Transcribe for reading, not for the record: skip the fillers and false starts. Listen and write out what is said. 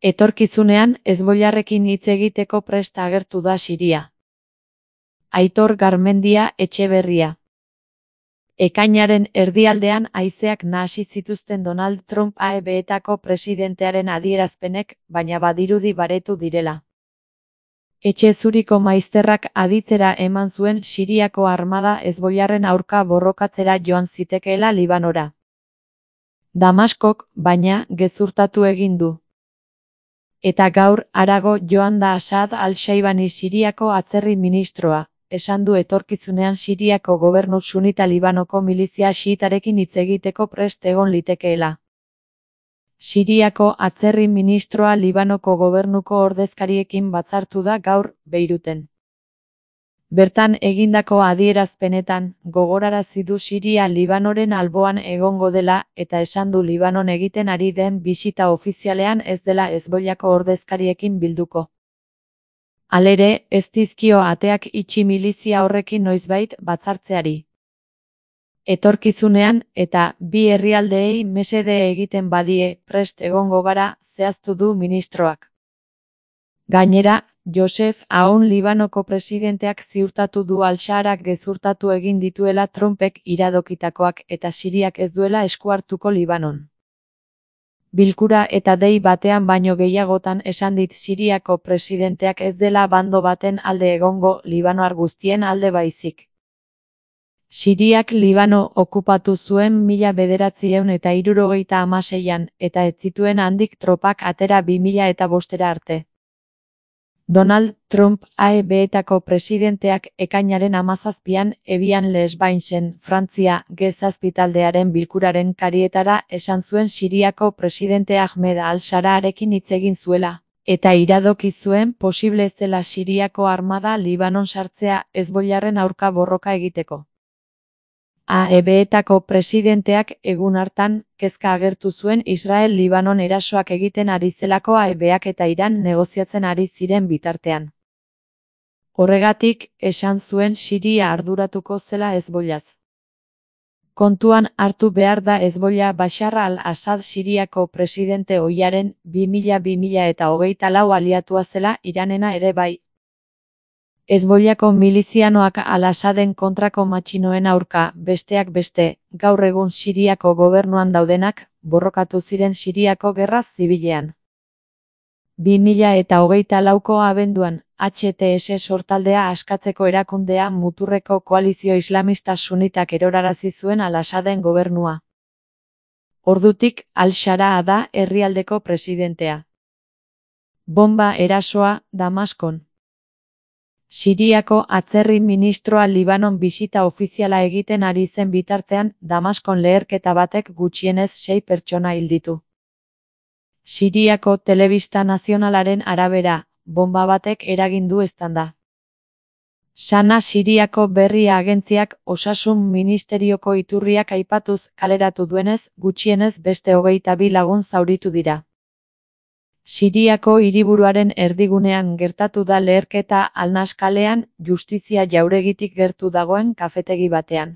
Etorkizunean Hezbollarrekin hitz egiteko prest agertu da Siria. Aitor Garmendia Etxeberria. Ekainaren erdialdean haizeak nahasi zituzten Donald Trump AEBetako presidentearen adierazpenek, baina badirudi baretu direla. Etxe Zuriko maizterrak aditzera eman zuen Siriako armada Hezbollarren aurka borrokatzera joan zitekeela Libanora. Damaskok, baina, gezurtatu egin du. Eta gaur, harago joan da Asad al-Shaibani Siriako atzerri ministroa, esan du etorkizunean Siriako gobernu sunita Libanoko milizia xiitarekin hitz egiteko prest egon litekeela. Siriako atzerri ministroa Libanoko gobernuko ordezkariekin batzartu da gaur, Beiruten. Bertan egindako adierazpenetan, gogorarazi du Siria Libanoren alboan egongo dela, eta esan du Libanon egiten ari den bisita ofizialean ez dela Hezbollako ordezkariekin bilduko. Halere, ez dizkio ateak itxi milizia horrekin noizbait batzartzeari. Etorkizunean, eta bi herrialdeei mesede egiten badie, prest egongo gara, zehaztu du ministroak. Gainera, Joseph Aoun Libanoko presidenteak ziurtatu du al-Sharak gezurtatu egin dituela Trumpek iradokitakoak eta Siriak ez duela esku hartuko Libanon. Bilkura eta dei batean baino gehiagotan esan dit Siriako presidenteak ez dela bando baten alde egongo Libanoar guztien alde baizik. Siriak Libano okupatu zuen 1976an eta ez zituen handik tropak atera 2005 arte. Donald Trump AEBetako presidenteak ekainaren 17an Evian les Bainsen, Frantzia, G7 taldearen bilkuraren karietara esan zuen Siriako presidente Ahmed al-Shararekin hitz egin zuela, eta iradoki zuen posible zela Siriako armada Libanon sartzea Hezbollarren aurka borroka egiteko. AEBetako presidenteak egun hartan kezka agertu zuen Israel Libanon erasoak egiten ari zelako AEBak eta Iran negoziatzen ari ziren bitartean. Horregatik, esan zuen Siria arduratuko zela Hezbollaz. Kontuan hartu behar da Hezbollah Bashar al-Assad Siriako presidente ohiaren 2000-2024 aliatua zela Iranena ere bai. Hezbollako milizianoak al-Assaden kontrako matxinoen aurka, besteak beste, gaur egun Siriako gobernuan daudenak, borrokatu ziren Siriako gerra zibilean. 2024ko abenduan, HTS sortaldea askatzeko erakundea muturreko koalizio islamista sunitak erorarazi zuen al-Assaden gobernua. Ordutik, al-Sharaa da herrialdeko presidentea. Bomba erasoa, Damaskon. Siriako atzerri ministroa Libanon bisita ofiziala egiten ari zen bitartean, Damaskon leherketa batek gutxienez 6 pertsona hil ditu. Siriako telebista nazionalaren arabera, bomba batek eragin du eztanda. Sana Siriako berri agentziak osasun ministerioko iturriak aipatuz kaleratu duenez, gutxienez beste 22 lagun zauritu dira. Siriako hiriburuaren erdigunean gertatu da leherketa Al-Nas kalean, justizia jauregitik gertu dagoen kafetegi batean.